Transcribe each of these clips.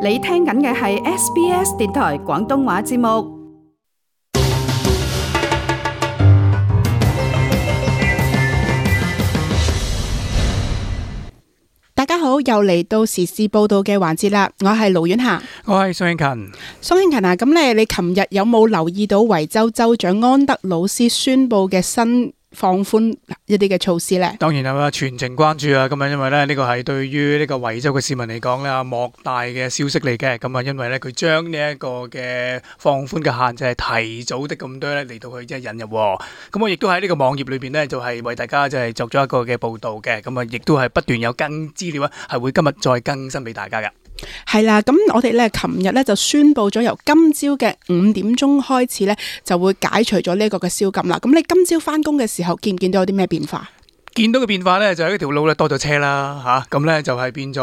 你聽緊嘅係 SBS 電台廣東話節目。大家好，又嚟到時事報道嘅環節啦。我係盧婉霞，我係宋慶勤。宋慶勤啊，咁你琴日有冇留意到維州州長安德魯斯宣布嘅新放寬一啲嘅措施呢？當然係啦，全程關注啊！咁啊，因為咧呢個係對於呢個維州嘅市民嚟講咧，莫大嘅消息嚟嘅。咁啊，因為咧佢將呢一個嘅放寬嘅限制係提早的咁多咧嚟到去即係引入。咁我亦都喺呢個網頁裏邊咧，就係為大家就係作咗一個嘅報導嘅。咁啊，亦都係不斷有更資料啊，係會今日再更新俾大家嘅。係啦，咁我哋咧琴日咧就宣布咗由今朝嘅5點鐘開始咧就會解除咗呢一個嘅宵禁啦。咁你今朝翻工嘅時候見唔見到有啲咩變化？見到嘅變化咧就係呢條路咧多咗車啦嚇，咁咧就係變咗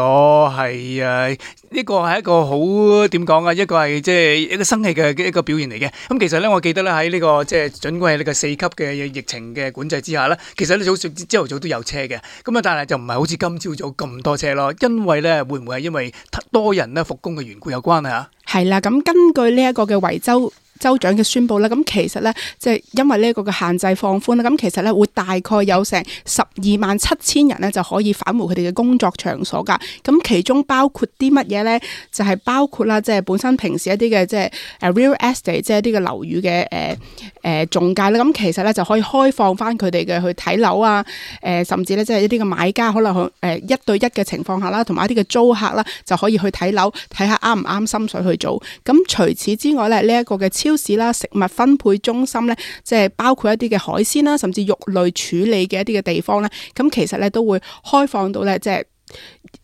係呢個係一個好點講啊，一個係即係一個生氣嘅一個表現嚟嘅。咁其實咧我記得咧喺呢個即係儘管係呢個4級嘅疫情嘅管制之下咧，其實咧朝頭早都有車嘅。咁啊，但係就唔係好似今朝早咁多車咯，因為咧會唔會係因為多人咧復工嘅緣故有關啊？係啦，咁根據呢一個嘅維州州長嘅宣佈啦，咁其實咧即係因為呢一個嘅限制放寬啦，咁其實咧會大概有成127000人咧就可以返回佢哋嘅工作場所㗎。咁其中包括啲乜嘢咧？就係包括啦，即係本身平時一啲嘅即係real estate，即係一啲嘅樓宇嘅中介啦。咁其實咧就可以開放翻佢哋嘅去睇樓啊，甚至咧即係一啲嘅買家可能1對1嘅情況下啦，同埋一啲嘅租客啦就可以去睇樓，睇下啱唔啱心水去做。咁除此之外咧，呢一個嘅超市啦、食物分配中心咧，即係包括一啲嘅海鮮啦，甚至肉類處理嘅一啲嘅地方咧，咁其實咧都會開放到咧，即係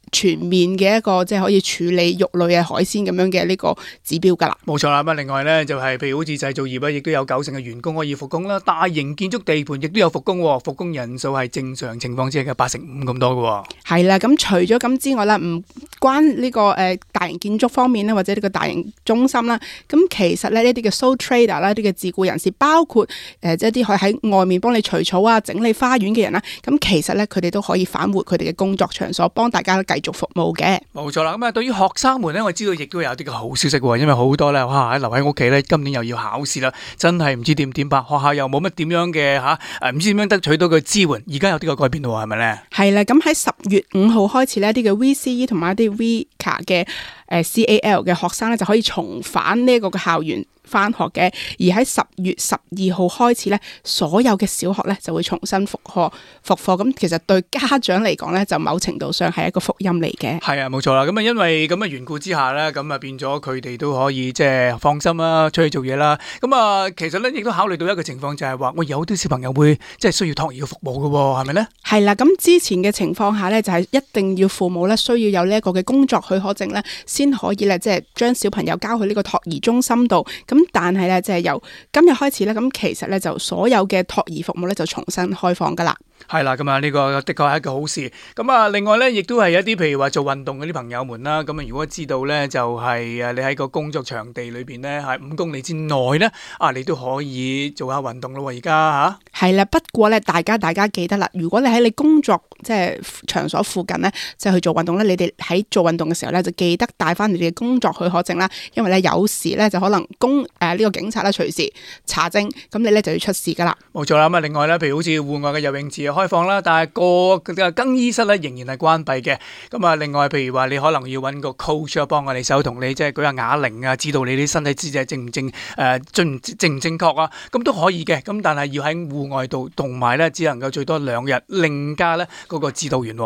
全面嘅一個即係可以處理肉類嘅海鮮咁樣嘅呢個指標㗎啦。冇錯啦，咁另外咧就係譬如好似製造業咧，亦都有90%嘅員工可以復工啦。大型建築地盤亦都有復工，復工人數係正常情況之下嘅85%咁多嘅。係啦，咁除咗咁之外啦，唔關呢個大型建築方面咧，或者呢個大型中心啦，咁其實咧呢啲嘅 sole trader 啦，呢啲嘅自僱人士，包括即係啲可以喺外面幫你除草啊、整理花園嘅人啦，咁其實咧佢哋都可以返回佢哋嘅工作場所，幫大家繼續服務嘅。冇錯啦，咁啊對於學生們咧，我知道亦都有啲嘅好消息喎，因為好多咧留喺屋企咧，今年又要考試啦，真係唔知點辦，學校又冇乜點樣嘅唔知點樣得取到嘅支援，而家有啲嘅改變喎，係咪咧？係啦，咁喺10月5號開始呢，一啲嘅 VCE 同埋一啲 VCA 嘅CAL 嘅學生咧就可以重返呢一個嘅校園翻學嘅，而喺10月12號開始咧，所有嘅小學咧就會重新復課。咁其實對家長嚟講咧，就某程度上係一個福音嚟嘅。係啊，冇錯啦。咁啊，因為咁嘅緣故之下咧，咁啊變咗佢哋都可以即係放心啦，出去做嘢啦。咁啊，其實咧亦都考慮到一個情況，就係話我有啲小朋友會即係需要托兒嘅服務嘅喎，係咪咧？係啦，咁之前嘅情況下咧，就係一定要父母咧需要有呢一個嘅工作許可證咧，先可以咧即係將小朋友交去呢個托兒中心度。咁但係咧，即係由今日開始咧，咁其實咧就所有嘅托兒服務咧就重新開放噶啦。係啦，咁啊呢個的確係一個好事。咁啊，另外咧，亦都係一啲譬如話做運動嗰啲朋友們啦。咁啊，如果知道咧，就係你喺個工作場地裏邊咧，係5公里之內咧，你都可以做下運動咯。而家係啦，不過咧，大家記得啦，如果你喺你工作即係場所附近咧，即係去做運動咧，你哋喺做運動嘅時候咧，就記得帶翻你哋嘅工作許可證啦。因為咧有時咧就可能呢個警察咧隨時查證，咁你咧就要出示噶啦。冇錯啦。咁啊，另外咧，譬如好似戶外嘅游泳池開放啦，但係個更衣室咧仍然係關閉嘅。咁啊，另外譬如話你可能要揾個 coach 幫我哋手同你即係舉下啞鈴啊，知道你啲身體姿勢正唔正確啊，咁都可以嘅。咁但係要喺戶外度，同埋咧只能夠最多2日，另加咧嗰個指導員。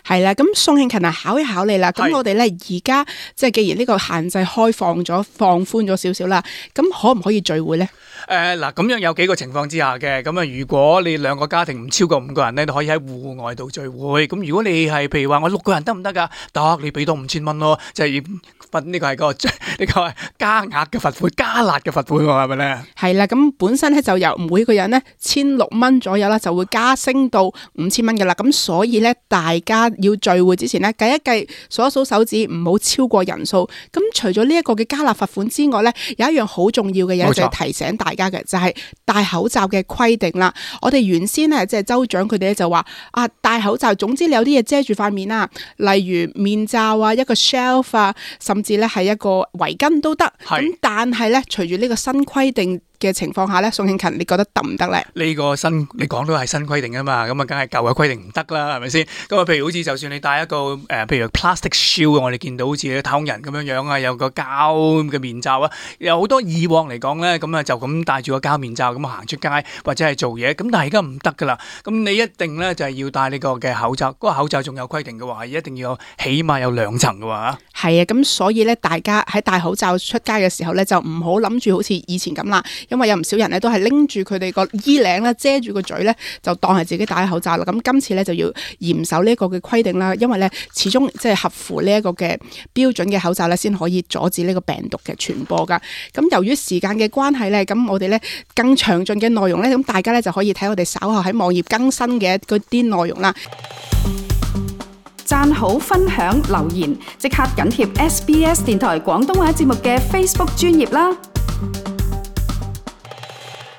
係啦，咁宋慶勤考一考你啦。咁我哋咧而家即係既然呢個限制開放寬咗少少啦，咁可唔可以聚會咧？嗱，咁樣有幾個情況之下嘅。咁啊，如果你2個家庭唔超過5個人咧，都可以喺戶外度聚會。咁如果你係譬如話我6個人得唔得噶？得，你俾多5000蚊咯，即係罰呢個係加額嘅罰款，加辣嘅罰款喎，係咪咧？係啦，咁本身咧就由每個人咧1600蚊左右啦，就會加升到5000蚊噶啦。咁所以咧大家要聚會之前咧計一計，數一數手指，唔好超過人數。咁除咗呢一個嘅加納罰款之外咧，有一樣好重要嘅嘢就係提醒大家嘅，就係戴口罩嘅規定啦。我哋原先咧即係州長佢哋咧就話戴口罩，總之你有啲嘢遮住塊面啦，例如面罩啊、一個 shelf 啊，甚至咧係一個圍巾都得。咁但係咧，隨住呢個新規定嘅情況下咧，宋慶勤，你覺得得唔得咧？呢個新你講到係新規定啊嘛，咁啊梗係舊嘅規定唔得啦，係咪先？咁啊，譬如好似就算你戴一個譬如 plastic shield， 我哋見到好似太空人咁樣樣啊，有個膠嘅面罩啊，有好多以往嚟講咧，咁啊就咁戴住個膠面罩咁行出街或者係做嘢，咁但係而家唔得噶啦，咁你一定咧就係要戴呢個嘅口罩，嗰個口罩仲有規定嘅話，係一定要起碼有2層嘅話。係啊，咁所以咧，大家喺戴口罩出街嘅時候咧，就唔好諗住好似以前咁啦，因為有唔少人咧都係拎住佢哋個衣領咧遮住個嘴咧，就當係自己戴口罩啦。咁今次咧就要嚴守呢一個嘅規定啦，因為咧始終即係合乎呢一個嘅標準嘅口罩咧，先可以阻止呢個病毒嘅傳播噶。咁由於時間嘅關係咧，咁我哋咧更詳盡嘅內容咧，咁大家咧就可以睇我哋稍後喺網頁更新嘅嗰啲內容啦。讚好、分享、留言，即刻緊貼SBS 電台廣東話節目嘅 Facebook 專頁啦！